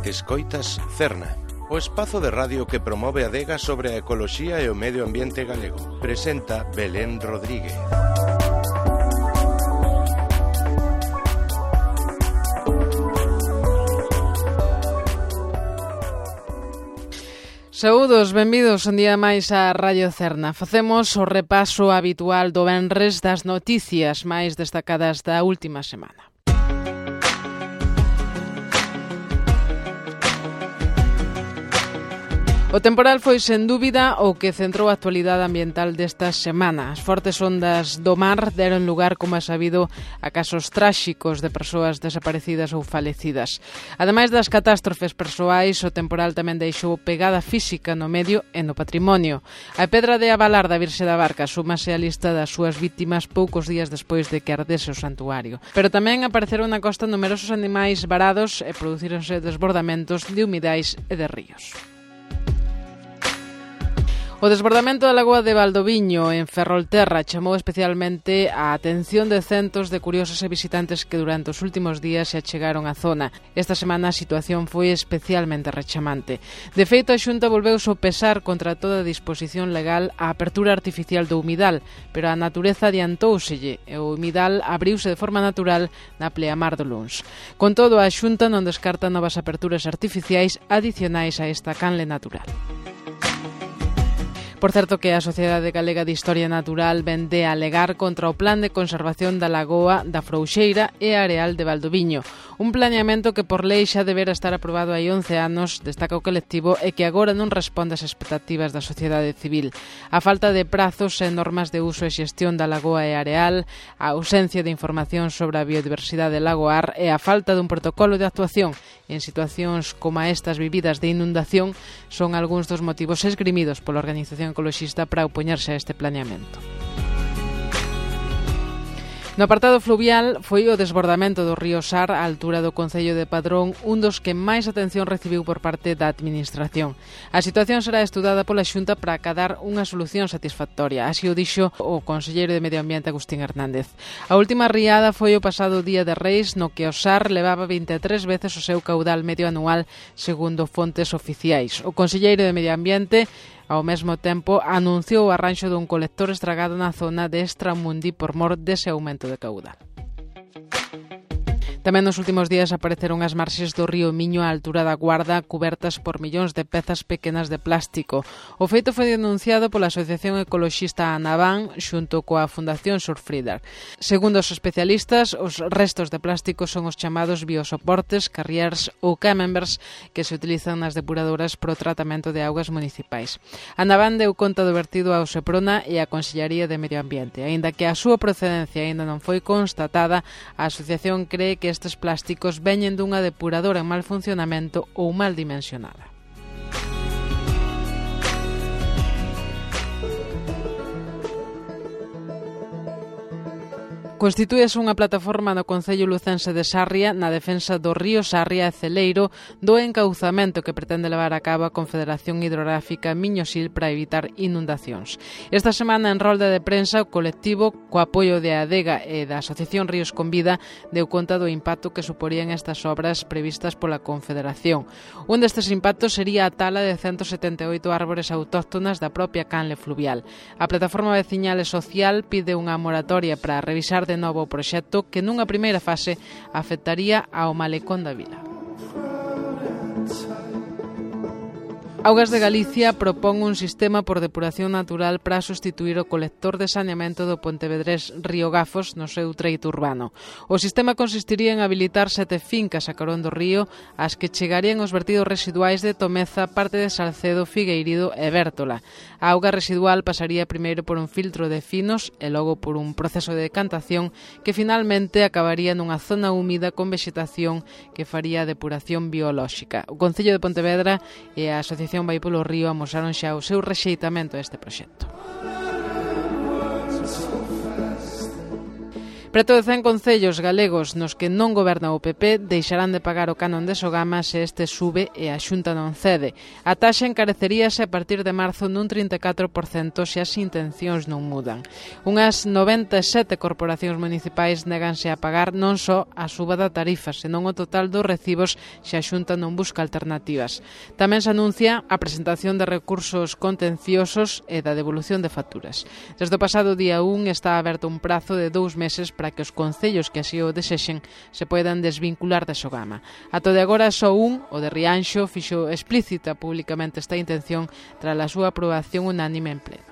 Escoitas Cerna, o espazo de radio que promove a adega sobre a ecoloxía e o medio ambiente galego. Presenta Belén Rodríguez. Saúdos, benvidos un día máis a Radio Cerna. Facemos o repaso habitual do venres das noticias máis destacadas da última semana. O temporal foi, sen dúbida, o que centrou a actualidade ambiental desta semana. As fortes ondas do mar deron lugar, como é sabido, a casos tráxicos de persoas desaparecidas ou falecidas. Ademais das catástrofes persoais, o temporal tamén deixou pegada física no medio e no patrimonio. A pedra de Avalar da Virxe da Barca súmase á lista das súas vítimas poucos días despois de que ardese o santuario. Pero tamén apareceron na costa numerosos animais varados e producíronse desbordamentos de humidais e de ríos. O desbordamento da lagoa de Valdoviño en Ferrolterra chamou especialmente a atención de centos de curiosos e visitantes que durante os últimos días se achegaron á zona. Esta semana a situación foi especialmente rechamante. De feito, a Xunta volveu sopesar contra toda disposición legal a apertura artificial do humidal, pero a natureza adiantóuselle e o humidal abriuse de forma natural na pleamar do luns. Con todo, a Xunta non descarta novas aperturas artificiais adicionais a esta canle natural. Por certo que a Sociedade Galega de Historia Natural vende a alegar contra o plan de conservación da lagoa da Frouxeira e areal de Valdoviño. Un planeamento que por lei xa debera estar aprobado hai 11 anos, destaca o colectivo, e que agora non responde ás expectativas da sociedade civil. A falta de prazos e normas de uso e xestión da lagoa e areal, a ausencia de información sobre a biodiversidade lagoar e a falta dun protocolo de actuación en situacións como estas vividas de inundación son algúns dos motivos esgrimidos pola organización ecoloxista para opoñerse a este planeamento. No apartado fluvial foi o desbordamento do río Sar á altura do concello de Padrón un dos que máis atención recibiu por parte da administración. A situación será estudada pola Xunta para acadar unha solución satisfactoria, así o dixo o conselleiro de Medio Ambiente Agustín Hernández. A última riada foi o pasado día de Reis, no que o Sar levaba 23 veces o seu caudal medio anual, segundo fontes oficiais. O conselleiro de Medio Ambiente ao mesmo tempo, anunciou o arranxo dun colector estragado na zona de Estramundi por mor dese aumento de caudal. Tamén nos últimos días apareceron as marxes do río Miño á altura da Guarda cubertas por millóns de pezas pequenas de plástico. O feito foi denunciado pola Asociación Ecoloxista Anabán xunto coa Fundación Surfrider. Segundo os especialistas, os restos de plástico son os chamados biosoportes, carriers ou camembers que se utilizan nas depuradoras para o tratamento de augas municipais. Anabán deu conta do vertido ao Seprona e á Consellaría de Medio Ambiente. Aínda que a súa procedencia aínda non foi constatada, a asociación cree que estes plásticos veñen dunha depuradora en mal funcionamento ou mal dimensionada. Constitúese unha plataforma no Concello Lucense de Sarria na defensa do río Sarria e Celeiro do encauzamento que pretende levar a cabo a Confederación Hidrográfica Miño-Sil para evitar inundacións. Esta semana en rolda de prensa o colectivo, co apoio de Adega e da Asociación Ríos con Vida, deu conta do impacto que suporían estas obras previstas pola Confederación. Un destes impactos sería a tala de 178 árbores autóctonas da propia canle fluvial. A plataforma veciñal e social pide unha moratoria para revisar de novo o proxecto que nunha primeira fase afectaría ao malecón da vila. Augas de Galicia propón un sistema por depuración natural para sustituir o colector de saneamento do pontevedrés Río Gafos no seu treito urbano. O sistema consistiría en habilitar 7 fincas a carón do río ás que chegarían os vertidos residuais de Tomeza, parte de Salcedo, Figueirido e Bértola. A auga residual pasaría primeiro por un filtro de finos e logo por un proceso de decantación que finalmente acabaría nunha zona húmida con vexetación que faría a depuración biolóxica. O Concello de Pontevedra e a Asociación Vai polo Río amosaron xa o seu rexeitamento a este proxecto. Preto de 100 concellos galegos nos que non goberna o PP deixarán de pagar o canon de Sogama se este sube e a Xunta non cede. A taxa encareceríase a partir de marzo nun 34% se as intencións non mudan. Unhas 97 corporacións municipais néganse a pagar non só a suba da tarifa, senón o total dos recibos se a Xunta non busca alternativas. Tamén se anuncia a presentación de recursos contenciosos e da devolución de facturas. Desde o pasado día 1 está aberto un prazo de 2 meses para que os concellos que así o desexen se poidan desvincular de Sogama. Ato de agora, só un, o de Rianxo, fixo explícita públicamente esta intención tras a súa aprobación unánime en pleno.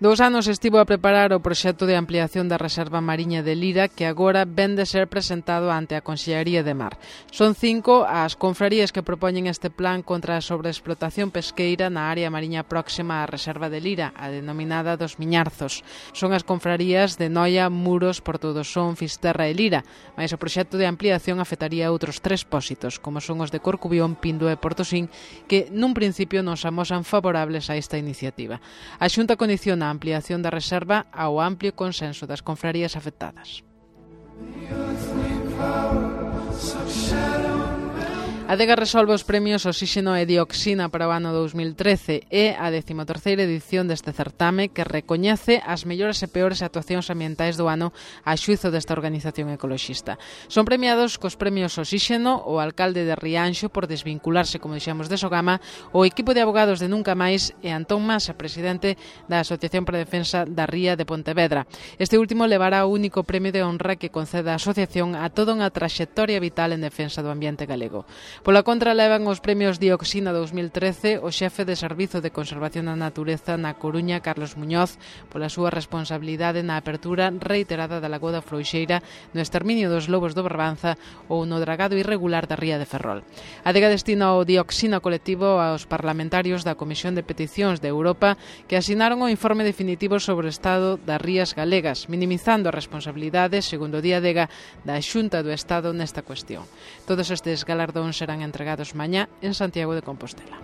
2 anos estivo a preparar o proxecto de ampliación da Reserva Mariña de Lira que agora ven de ser presentado ante a Consellería de Mar. Son 5 as confrarías que propoñen este plan contra a sobreexplotación pesqueira na área mariña próxima á Reserva de Lira, a denominada dos Miñarzos. Son as confrarías de Noia, Muros, Porto do Son, Fisterra e Lira, mas o proxecto de ampliación afectaría a outros 3 pósitos, como son os de Corcubión, Pindo e Portosín, que nun principio non se amosan favorables a esta iniciativa. A Xunta condiciona a ampliación da reserva ao amplio consenso das confrarías afectadas. A Adega resolve os premios Oxíxeno e Dioxina para o ano 2013 e a 13ª edición deste certame que recoñece as mellores e peores actuacións ambientais do ano a xuizo desta organización ecoloxista. Son premiados cos premios Oxíxeno o alcalde de Rianxo por desvincularse, como dixemos, de Sogama, o equipo de abogados de Nunca Máis e Antón Masa, presidente da Asociación para a Defensa da Ría de Pontevedra. Este último levará o único premio de honra que concede a asociación a toda unha traxectoria vital en defensa do ambiente galego. Pola contra levan os premios Dioxina 2013 o xefe de Servizo de Conservación da Natureza na Coruña, Carlos Muñoz, pola súa responsabilidade na apertura reiterada da Lagoa da Frouxeira, no exterminio dos lobos do Barbanza ou no dragado irregular da ría de Ferrol. A Adega destina o Dioxina colectivo aos parlamentarios da Comisión de Peticións de Europa que asinaron o informe definitivo sobre o estado das rías galegas, minimizando a responsabilidade, segundo o Día Adega, da Xunta do Estado nesta cuestión. Todos estes galardóns serán entregados mañá en Santiago de Compostela.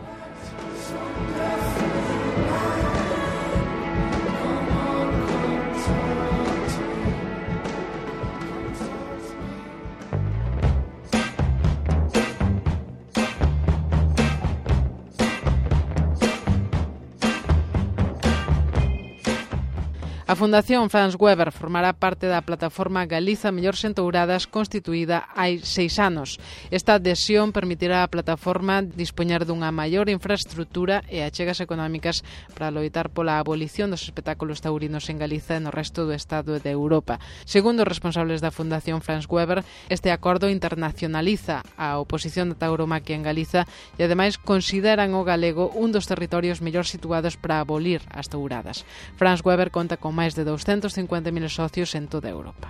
A Fundación Franz Weber formará parte da plataforma Galiza Mellores Entouradas constituída hai 6 anos. Esta adhesión permitirá á plataforma dispoñer dunha maior infraestrutura e achegas económicas para loitar pola abolición dos espectáculos taurinos en Galiza e no resto do Estado de Europa. Segundo os responsables da Fundación Franz Weber, este acordo internacionaliza a oposición da tauromaquia en Galiza e ademais consideran o galego un dos territorios mellor situados para abolir as touradas. Franz Weber conta con máis de 250.000 socios en toda Europa.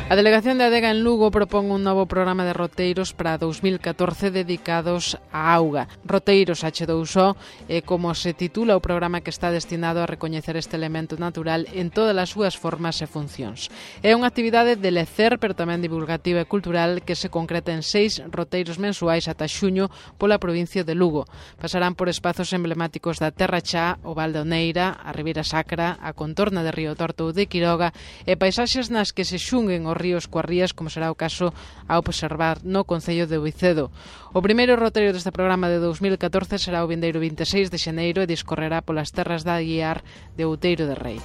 A Delegación de Adega en Lugo propón un novo programa de roteiros para 2014 dedicados á auga. Roteiros H2O é como se titula o programa que está destinado a recoñecer este elemento natural en todas as súas formas e funcións. É unha actividade de lecer, pero tamén divulgativa e cultural que se concreta en 6 roteiros mensuais ata xuño pola provincia de Lugo. Pasarán por espazos emblemáticos da Terra Chá, o Val de Oneira, a Ribeira Sacra, a contorna de Río Torto ou de Quiroga e paisaxes nas que se xunguen os ríos coas rías, como será o caso a observar no concello de Oicedo. O primeiro roteiro deste programa de 2014 será o vindeiro 26 de xaneiro e discorrerá polas terras da Aguiar de Outeiro de Rei.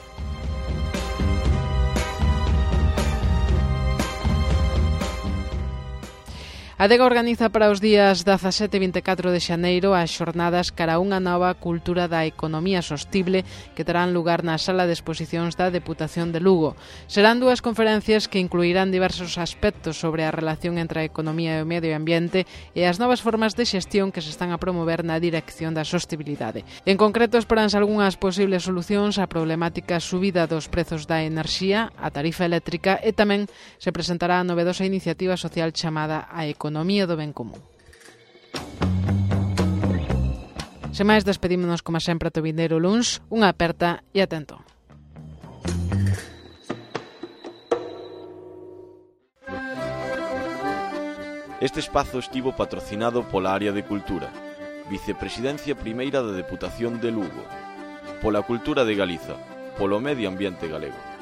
A Adega organiza para os días 17 e 24 de xaneiro as xornadas cara a unha nova cultura da economía sostible que terán lugar na sala de exposicións da Deputación de Lugo. Serán 2 conferencias que incluirán diversos aspectos sobre a relación entre a economía e o medio ambiente e as novas formas de xestión que se están a promover na dirección da sostibilidade. En concreto, esperanse algunhas posibles solucións á problemática subida dos prezos da enerxía, a tarifa eléctrica e tamén se presentará a novedosa iniciativa social chamada a Economía do Ben Común. Sen máis, despedímonos como sempre ata o vindeiro luns. Unha aperta e atento. Este espazo estivo patrocinado pola área de Cultura, Vicepresidencia Primeira da Deputación de Lugo, pola Cultura de Galiza, polo Medio Ambiente Galego.